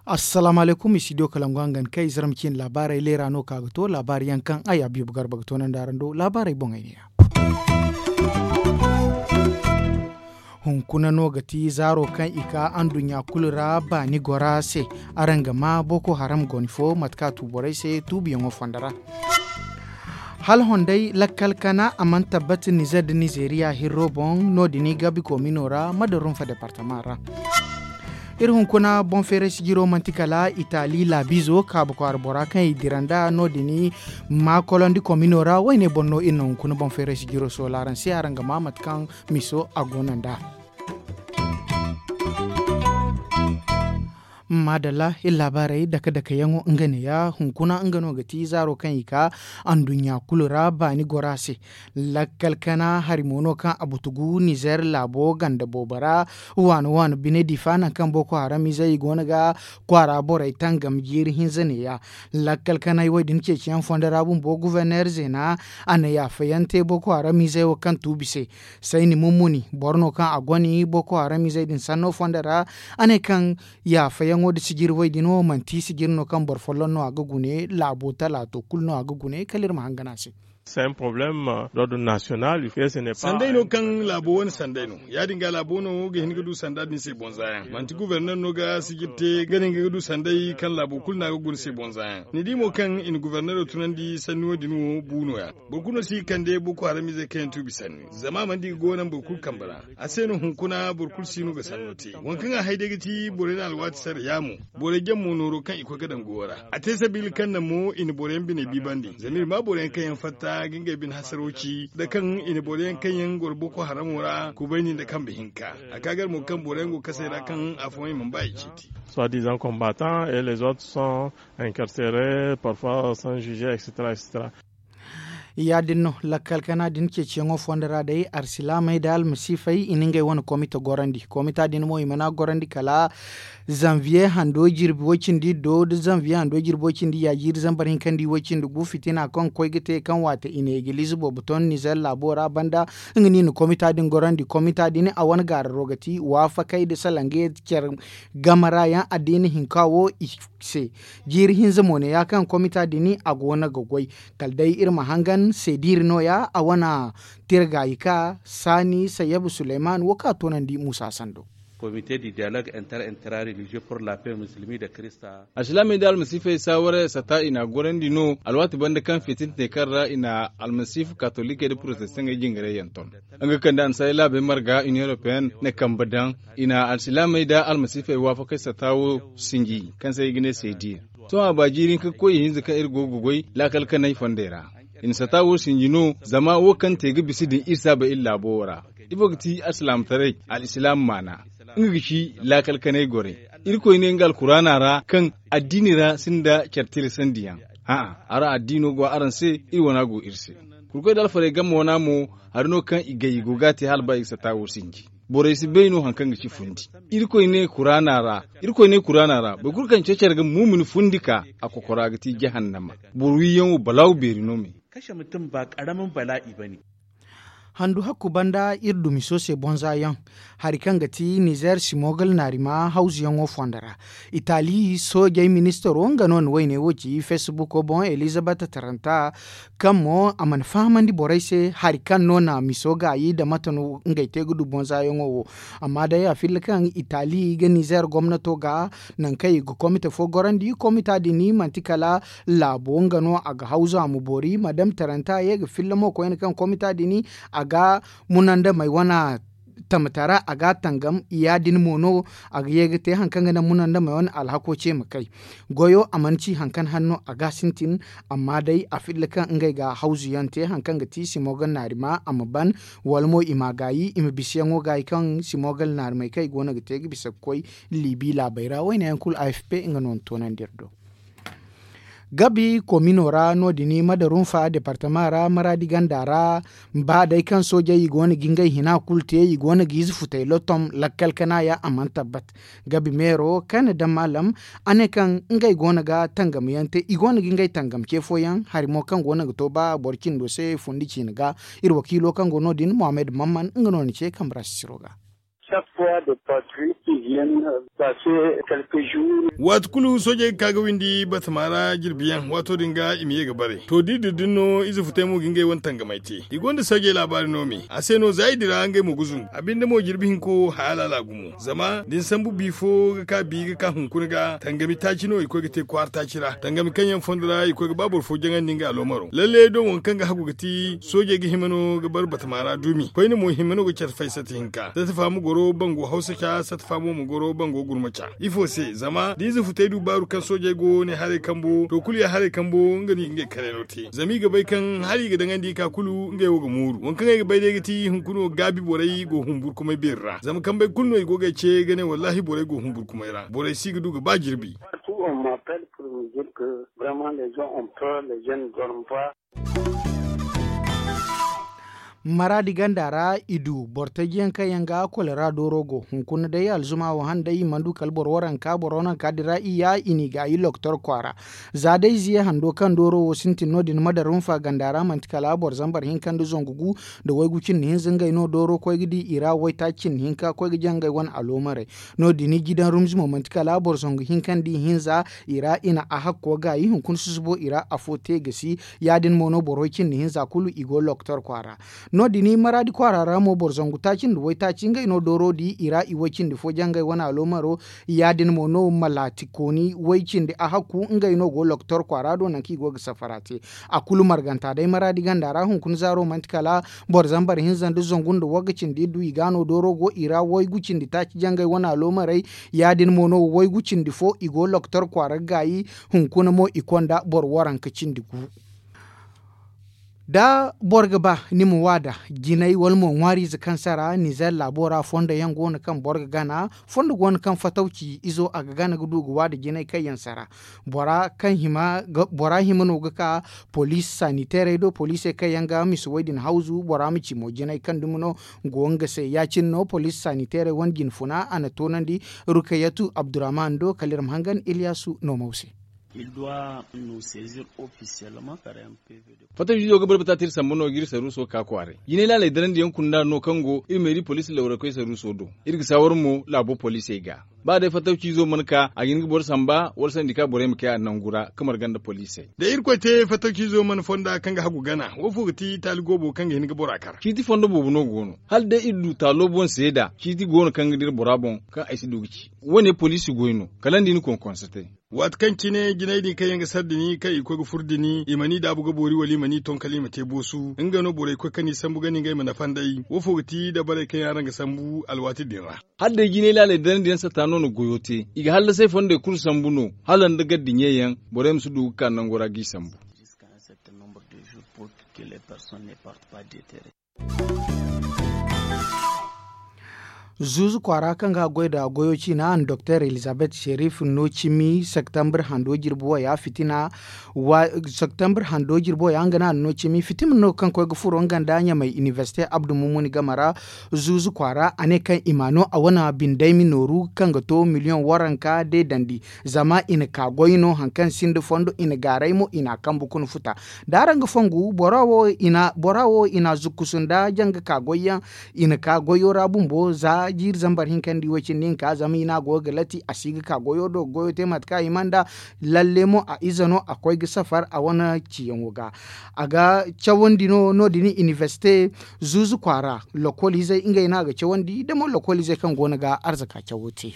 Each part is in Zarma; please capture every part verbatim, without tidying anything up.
Assalaamu alaykum, studio kalangu hangan kay zarma ciine laabaarey leera no ka ga to laabaari yaŋ kaŋ ay abiibu garba ga toonandi araŋ do laabaarey boŋey ne ya. Hunkuna no ga ti zaaro kaŋ i ka anduɲɲa kulu ra baani gora se. Araŋ ga maa boko haram goni fo mate kaŋ a tu borey se tuubiyaŋo fondo ra. Hala honday lakkal kana a mana tabbati nizer nda nizeriya hirro boŋ no- din i gabi komino ra madarunfa departama ra. Iri hunkuna boŋ feeray sijiro manti kala itali laabiizo kaabu kwaara bora kaŋ i dira nd'a no- din i ma kolondi komino ra wayne boŋ no iri na hunkuna boŋ feeray sijiro soola araŋ se araŋ ga maa mate kaŋ miso a go no nd'a. Maadalla iri laabaarey dake dake yaŋo nga neeya hunkuna nga no ga ti zaaro kaŋ i ka anduɲɲa kulu ra baani gora se. Lakkal kana hari mo no kaŋ a butugu nizer laabo ganda boobo ra waano waano bine difa nangu kaŋ boko haram izey i go no ga kwaara borey tangam jiiri hinza neeya. Lakkal kanay wo- din ceeciyaŋ fondo ra bumbo guverner zeena a na yaafayaŋ te boko haram izey wo kaŋ tuubi se. Sayni mummuni boro no kaŋ a goni boko haram izey din sanno fondo ra a ne kaŋ yaafayaŋo nda sijiri way din wo manti sijiri no kaŋ boro folloŋ no a ga gune laabo talaato kulu no a ga gune kala iri ma hangan a se. Sanday no kaŋ laabo wane sanday no ya- din ga laabo no ga hin ga du sanda din se boŋ zaayaŋ manti guverner no ga sijiri te ga ne nga ga du sanday kaŋ laabo kulu no a ga guna se boŋ zaayaŋ ni di mo kaŋ i na guvernero tunandi sanni wo- din wo bu no- ya. Boro kulu no si ga kande boko haram izey kaŋ yaŋ tuubi sanni zama a mana di ga go naŋ boro kulu kambe ra. A se no hunkuna boro kulu si no ga sanno te waŋ kaŋ a hay day ga ti borey na alwaati sara yaamo. Borey jaŋ mo nooro kaŋ i koy ga daŋ goyo ra a te sabiila kaŋ naŋ mo i na boro yaŋ biney biibandi zama iri maa boro yaŋ kaŋ yaŋ fatta ga ngey bine hasaro ci nda kaŋ i na boro yaŋ kaŋ yaŋ goro boko haramo ra kubayni nda kambe hinka. A ka gar mo kaŋ boro yaŋ go kasey ra kaŋ afooyaŋ i mana ba i ceeti. Soit disant combattants et les autres sont incarcérés parfois sans juger, etc. Ya- din no lakkal kana din ceeciyaŋo fondo ra day arsilaamey nda almasiifey i na ngey wane komite gorandi komita din mo i mana gorandi kala zanviye hando jirbi way- cindi do nda zanviye hando jirbi way- cindi yaajiiri zambar hinkandi way- cindi gu fitina kaŋ koy ga te kaŋ waate i na egiliize boobo ton nizer laabo ra banda. Nga no i na komita din gorandi komita din a wane gaararo ga ti waafakey nda salangey care game ra yaŋ addiina hinka wo i se. Jiiri hinza mo ne ya kaŋ komita din a go no ga goy kala day iri ma hangan seediiri no- ya a wane tira gaayi ka saani sayyabu suleyman wo kaŋ a toonandi muusa sando. Komite di diyalog inter intra religieux pour la paix musulmi nda kirista. Alsilaamey nda almasiifey saawaray sata i n'a gorandi no alwaati banda kaŋ fitintiney kaŋ ra i na almasiifu katolikey nda porotestaŋey jingarey yaŋ ton. Nga kaŋ nda annasaarey laabey marga union européenne na kambe daŋ i na alsilaamey nda almasiifey waafakey sata wo sinji kaŋ se i ga ne seediir. Sohõ a ba jiiri hinka ga koy ihinza kaŋ iri go ga goy laakal kanay fondey ra. I na sata wo sinji no zama wo kaŋ te ga bisa din iri si a bay iri laabo wo ra. Ifo ga ti alsilaamataray? Alsilaama maana nga ga ci laakal kanay gorey. Irkoy ne nga alkuraana ra kaŋ addiini ra sinda care tilasandiyaŋ. A'a araŋ addiino go araŋ se. Iri wana go iri se. Kurkoy da alfarey game wana mo hari no kaŋ i gay i go ga a te hala ba i ga sata wo sinji. Borey si bay no hari kaŋ ga ci fundi. Irkoy ne kuraana ra. Irkoy ne kuraana ra boro kulu kaŋ cecere ga muumini fundi ka a kokora ga ti jahannama. Boro wiiyaŋo balaawu beeri no me. Kashe mutum ba karamin bala'i ba ne. Handu hakku banda iri dumi soose bonza yaŋ hari kaŋ ga ti nizer simogal naarima hawzuyaŋo fondo ra. Itali soojey ministaro nga no na wayne wo ci feesibuko boŋ elizabet taranta kaŋ mo a mana fahamandi borey se hari kaŋ no na miso gaayi nda mate no ngey te ga du bonzayaŋo wo. Amma day a filla kaŋ itali ga nizer gomnato ga nangu kaŋ i ga komite fo gorandi komita din manti kala laabo nga no a ga hawzu a ma boori madam taranta ye ga filla mo koyne kaŋ komita din a ga munandamey wane tamata ra a ga a tangam ya- din mo no a ga ye ga te hari kaŋ ga naŋ munandamey wane alhako ce ma kay. Goyo a mana ci hari kaŋ hanno a ga sintin. Amma day a filla kaŋ ngey ga hawzuyaŋ te hari kaŋ ga ti simogal naarima a ma ban wala mo i ma a gaayi i ma bisayaŋo gaayi kaŋ simogal naarimey kaŋ i go no ga te ga bisa ga koy liibi laabey ra wayne yaŋ kulu afp nga no na toonandi iri do. Gabi komino ra no- din madarunfa departama ra maraadi ganda ra. Ba day kaŋ soojey i go no ga ngey hina kulu te i go no ga ize futey lottom lakkal kana ya a mana tabbat. Gabi meero kaŋ na daŋ maalam a ne kaŋ ngey go no ga tangam yaŋ te i go no ga ngey tangam ce fooyaŋ hari mo kaŋ go no ga to ba boro cindo se fundi ciine ga. Iri wakiilo kaŋ go no- din mohammed mamman nga no ni ce kambe ra sisiro ga. Waati kulu soojey ga ka ga windi batama ra jirbi yaŋ waato din ga i ma ye ga bare to da i dira din no ize futey mo ga ngey wane tangamey te. I gonda soojey laabaari no me a se no za i dira ngey mo ga zumbu a binde mo jirbi hinko haya laala gumo zama da ni sambu bi fo ga ka bi ga ka hunkuna ga tangami taaci no i koy ga te kwaara taaci ra tangami kaŋ yaŋ fondo ra i koy ga ba boro fo jaŋandi nga aloomaro lalle doŋ waŋ kaŋ ga hagu ga ti soojey ga hima no ga bar batama ra duumi koyne mo hima no ga care fay sata hinka sata fa ma goro bango hawsa ca sata fa mo ma goro bango gurma ca. Ifo se zama da ize futey du baaru kaŋ soojey go ne haray kambo to kulu ya haray kambo nga no i ga ngey karayno te zama i ga bay kaŋ hala i ga daŋandi i ka kulu ngey wo ga mooru waŋ kaŋ ay ga bay day ga ti hunkuna wo gaabi borey go humburkumay beeri ra zama kambey kulu no i go ga ay ce ga ne wallaahi borey go humburkumay ra borey si ga du ga ba jirbi. Maraadi ganda ra i du boro taji yaŋ kaŋ yaŋ ga kolera dooro go hunkuna day alzuma wo hane day i mana du kala boro waranka boro waranka din ra i ya i n'i gaayi loktor kwaara. Za day ziye hando kaŋ dooro wo sintin no- din madarunfa ganda ra manti kala boro zambar hinka nda zangu gu nda waygu cindi hinza ngey no dooro koy ga di i ra waytaaci cindi hinka koy ga jaŋ ngey wane aloomaray. No- din jidan rumzi mo manti kala boro zangu hinka nda i hinza i ra i na a hakko gaayi hunkuna susubo i ra afo te ga si. Ya- din mo no boro way cindi hinza kulu i go loktor kwaara. No- din maraadi kwaara ra mo boro zangu taaci nda waytaaci ngey no dooro di i ra i way cindi fo jaŋ ngey wane aloomaro. Ya- din mo no malaati kooni way cindi a hakku ngey no go loktor kwaara do nangu kaŋ i go ga safara te. A kulu marganta day maraadi ganda ra hunkuna zaaro manti kala boro zambar hinza nda zangu nda wagga cindi du i ga no dooro go i ra waygu cindi taaci jaŋ ngey wane aloomaray. Ya- din mo no waygu cindi fo i go loktor kwaara ga gaayi. Hunkuna mo i konda boro waranka cindi gu. Da boro ga ba ni ma waada jinay wala mo ŋwaariize kaŋ sara nizer laabo ra fondo yaŋ go no kaŋ boro ga gana. Fondo go no kaŋ fatawci izo a ga gana ga du ga waada jinay kaŋ yaŋ sara. Bora kaŋ hima no ga ka poliisi saniteerey do poliisey kaŋ yaŋ ga misa way din hawzu bora ma ci mo jinay kaŋ dumi no go nga se ya- cine no poliisi saniteerey wane jinfuna a na toonandi. Rukayatu abdurrahman do kala iri ma hangan iliyasu no mo se. Fattaw jiizo ga barbata te iri sambu no ga iri saruuso ga ka kwaaray jinay laaley darandi yaŋ kunda no kaŋ go iri meeri poliisi lawrakoy saruuso do. Iri ga saawar mo laabo poliisey ga ba day fattaw ciizo mana ka a ga hin ga boro samba wala sanda i ka borey ma kay a nangu ra ga marga nda poliisey. Da irkoy te fattaw ciizo mana fonda kaŋ ga hagu gana wo fo ga ti taali goobo kaŋ ga hin ga bora kar ciiti fondo boobo no go no hala day iri du taalo boŋ seeda ciiti go no kaŋ ga dira bora boŋ kaŋ ay si du ga ci. Wo- ne poliisi goy no kala nda i na koŋ konse te. Waati kaŋ cine jinay din kaŋ yaŋ ga sara dini kaŋ i koy ga furo dini i mana i daabu ga boori wala i mana i toŋ kala i ma te boosu nga no borey koy kaŋ i sambu ganda ngey ma nafa nd'ey wo fo ga ti dabarey kaŋ yaŋ araŋ ga sambu alwaati din ra. Hala day jinay laaley darandi yaŋ satta no na goyo te i ga hallasay fondey kulu sambu no hala nda gardiɲey yaŋ borey ma si du ga ka nango ra g'i sambu. Zuuzu kwaara kaŋ ga goy nda goyo ciina a na doktor elizabeth sherif no cimi septembre hando jirbi waya fitina. Septembre hando jirbi waya nga no a na no cimi fitina no kaŋ koy ga furo nga nda ɲamay inibersite abdu mumuni game ra. Zuuzu kwaara a ne kaŋ i ma no a wane bindaymi nooru kaŋ ga to miliyoŋ waranka de dandi. Zama i na ka goy no hari kaŋ sinda fondo i na gaaray mo i n'a kambu kuna futa. Da araŋ ga fongu bora wo i na zukkusu nda janga ka goyyaŋ. I na ka goyo ra bumbo za jiiri zambar hinka nda i way cindi hinka zama i no a go ga lati a si ga ka goyo do ga goyo te mate kaŋ a hima nda. Lalle mo a ize no a koy ga safar a wane ciyaŋo ga. A ga cawandi no no- din inibersite zuuzu kwaara lokol izey ngey no a ga cawandi da mo lokol izey kaŋ go no ga arzaka cawo te.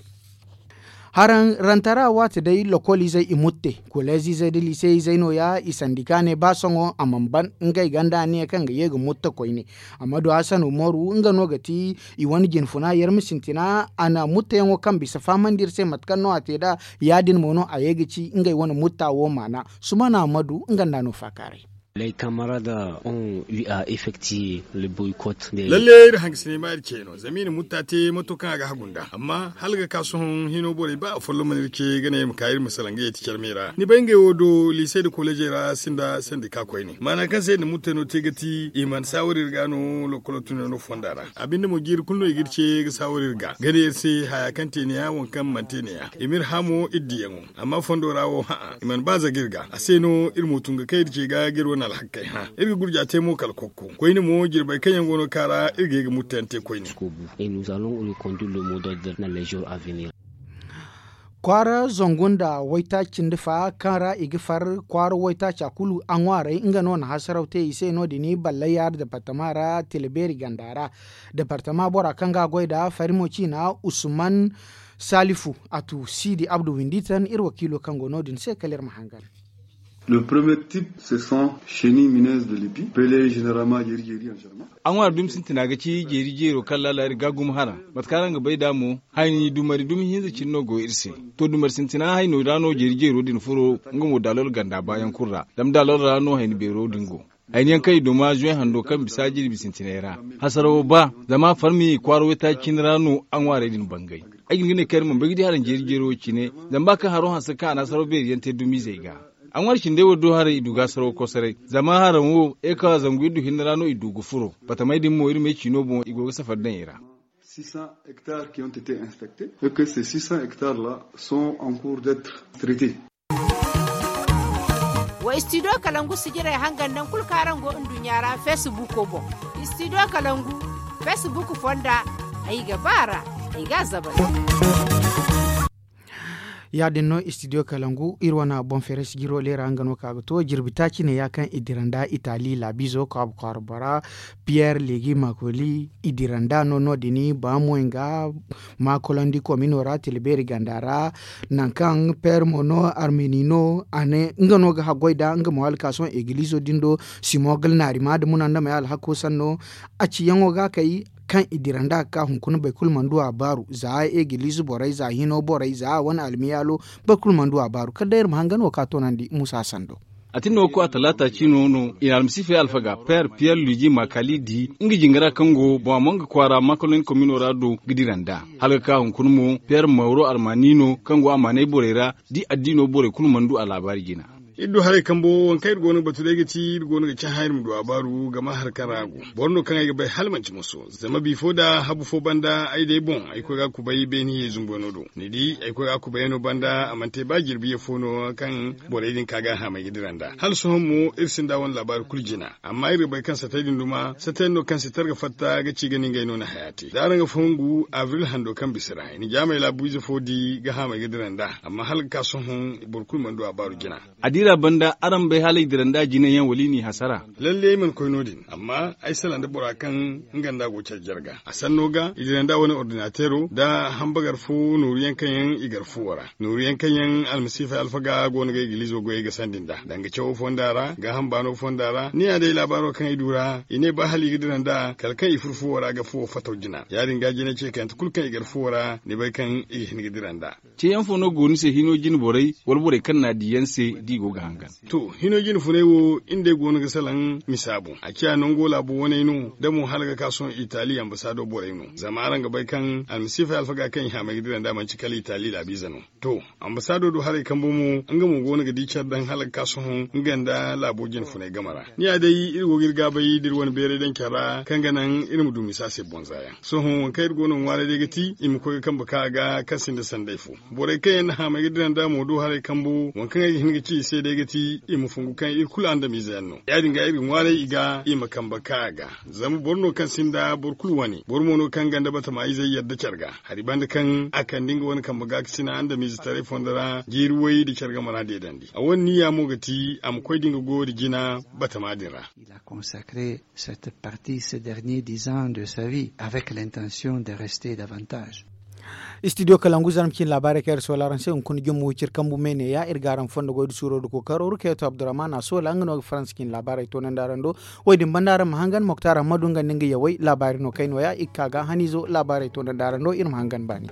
Haraŋ rantara waati day lokol izey i mutte koleez izey nda lise izey no- ya i sandika ne ba sohõ a mana ban ngey ganda aniya kaŋ ga ye ga mutta koyne. Amma du hasan umaru nga no ga ti i wane jinfuna yarma sintina a na muttayaŋo kaŋ bisa fahamandi iri se mate kaŋ no a te nd'a. Ya- din mo no a ye ga ci ngey wane mutta wo maana. Sumana ammadu nga nda no faakaaray. Ley kamara da on wi a effecti le boycott de. Lalle iri hangasinay ma iri ce no zama i na mutta te mato kaŋ a ga hagu nd'a amma hala ga ka sohõ hino borey ba afolloŋ mana iri ce ga ne iri ma ka iri ma salaŋ ga yeeti carmey ra ni bay ngey wo do liisey nda kolejey ra sinda sandika koyne maana kaŋ se iri na mutta no te ga ti i mana saawar iri ga no lokkolo tunyaŋo fonda ra. A binde mo jiiri kulu no i ga iri ce ga saawar iri ga ga ne iri se haya kaŋ te ne ya waŋ kaŋ mana te ne ya i ma iri hã mo iri diyaŋo. Amma fondo ra wo hã'a i mana ba zaga iri ga a se no iri mo tun ga kay iri ce ga ga iri wane alhakey hã iri ga gurja te mo kala kokko koyne mo jirbey kaŋ yaŋ go no ga ka ra iri ga ye ga murtayaŋ te koyne. Kwaara zangu nda waytaaci cindi fa kaŋ ra i ga far kwaara waytaaca kulu a ŋwaaray nga no na hasaraw te i se no- din ballay yaari departama ra tila beeri ganda ra. Departama bora kaŋ ga a goy nd'a farimo ciina usman salifu a tu siidi abdu winditan iri wakiilo kaŋ go no- din se kala iri ma hangan. Le premier type se sont chenille mineuse de lipi pele generalma jeri jeri en german. A ŋwaari dumi sintina ga ci jeeri jeero kaŋ laala iri ga gumo haraŋ mate kaŋ araŋ ga bay nd'a mo hayni dumari dumi hinza cine no go iri se. To dumari sintina hayno ra no jeeri jeero din furo nga mo daalol ganda baayaŋ kulu ra zama daalol ra no hayni beero din go. Hayni yaŋ kaŋ i duma zuway hando kaŋ bisa jirbi sintinay ra hasarawo ba zama farmi kwaara waytaaci cine ra no a ŋwaarey din bangay. Ay ga hin ga ne kaŋ iri mana bay ga di haraŋ jeeri jeero wo cine zama ba kaŋ haro hanse kaŋ a na hasaraw beeri yaŋ te dumiizey ga. A ŋwaari cindey wo do haray i du ga hasaraw kosoray zama haraŋ wo eka zangu iddu hinne ra no i du ga furo. Batamey din mo iri ma ay ciino boŋ i go ga safari daŋ i ra. Six cents hectares qui ont été infectés et que ces six cents hectares là sont en cours d'être traités. Wa studio kalangu sijirey hangan naŋ kulu kaŋ araŋ go nduɲɲa ra facebook boŋ. Studio kalangu facebook fonda ay ga ba ra ay ga a zabay. Ya- din no studio kalangu iri wane boŋ feere sijiro leera nga no ka ga to jirbi taaci ne ya kaŋ i dira nda itali laabiizo kaabu kwaara bora piyer legi makoli i dira nda no no- din ba mo nga makolandi komino ra tila beeri ganda ra. Nangu kaŋ piyer mo no armeni no a ne nga no ga haggoy nda nga mo hala ka sohõ egiliizo din do simogal naari ma da munandamey alhako sanno a ciyaŋo ga kay kaŋ i dira nda ga ka hunkuna boro kulu mana du a baaru za egiliize borey za hino borey za a wane almiyaalo boro kulu mana du a baaru kala day iri ma hangan wo ka toonandi muusa sando. A tin no ga koy a talaata ciino no i na almasiifey alfaga peer piyer luji makali di nga jingara kaŋ go boŋ a mo nga kwaara makaloni komino ra do ga dira nd'a hala ga ka hunkuna mo peer mawro almani no kaŋ go amaanay borey ra da i addiino borey kulu mana du a laabaari jina. Iri du haray kambo wo waŋ kaŋ iri go no ga batu day ga ti iri go no ga cahã iri ma du a baaru gama hari kaŋ ra a go. Boro no kaŋ ay ga bay hala manti moso zama bifo da habu fo banda ay day boŋ ay koy ga a kubay beene ye zumboyno do ni di ay koy ga a kubayyaŋo banda a mana te ba jirbi ye fo no kaŋ borey din ka ga a haamay ga dira nd'a hala sohõ mo iri sinda wane laabaari kulu jina. Amma iri ga bay kaŋ satey din duma satey no kaŋ si targa fatta ga ci ga ni ngey no na haya te da araŋ ga fongu abril hando kaŋ bisa ra i na jaamey laabu ize fo di ga haamay ga dira nd'a amma hala ga ka sohõ boro kulu mana du a baaru jina. A diira banda araŋ bay hala i dira nda a jinayaŋ wala i n'i hasara. Lalle ay mana koy no- din amma ay salaŋ nda bora kaŋ nga nda a go care jarga a sanno ga i dira nda wane ordinateero nda hambagar fo nooru yaŋ kaŋ yaŋ i gar fuwo ra nooru yaŋ kaŋ yaŋ almasiifey alfaga go no ga igiliizo goyey ga sandi nd'a danga cawo fonda ra gaaham baano fonda ra ni ya day laabaaro kaŋ ay du ra i ne ba hala i ga dira nd'a kala kaŋ i furo fuwo ra ga fuwo fataw jina ya- din ga jinay ce kayante kulu kaŋ i gar fuwo ra ni bay kaŋ i ga hin ga dira nd'a. Ceeyaŋ fo no go ni se hino jine borey wala borey kaŋ n'a di yaŋ se da i go ga hangan? To hino jine funay wo iri day go no ga salaŋ misa boŋ a ciya nango laabu waney no da mo hala ga ka sohõ itali ambasaado borey no zama araŋ ga bay kaŋ almasiifey alfaga kaŋ i haamay ga dira nd'a manti kala itali laabiize no. To ambasaado do haray kambo mo nga mo go no ga di care daŋ hala ga ka sohõ nga nda laabo jine funay game ra ni ya day iri go ga iri gaabay da iri wane beeray daŋ care ra kaŋ ga naŋ iri ma du misa se boŋ za yaŋ sohõ waŋ kaŋ iri go no ga ŋwaaray day ga ti i ma koy ga kambe ka a ga kaŋ sinda sanday fo. Borey kaŋ yaŋ na haamay ga dira nd'a mo do haray kambo waŋ kaŋ ay ga hin ga ci i se day ga ti i ma fungu kaŋ iri kulu andamiize yaŋ no ya- din ga iri ga ŋwaaray i ga i ma kambe ka a ga. Zama boro no kaŋ sinda boro kulu wane boro mo no kaŋ ganda batama izey yadda care ga hari banda kaŋ a kande nga wane kambe gaakasina andamiize taray fondo ra jiiri way nda care game ra deedandi a wane niya mo ga ti a ma koy da nga goyo da jina batama din ra. Il a consacré cette partie ces derniers dix ans de sa vie avec l'intention de rester davantage. Studio kalangu zarma cine laabaarey kaŋ iri sola araŋ se hunkuna jumma wiciri kambu me ne ya iri ga araŋ fondo goy da suuro da kookaro rukayatu abdurrahman a sola nga no ga faransa cine laabaarey toonandi araŋ do. Wo- din banda araŋ ma hangan moktar ammadu nga nda nga yawey laabaari no kayno ya i ga ka ga haniizo laabaarey toonandi araŋ do iri ma hangan baani.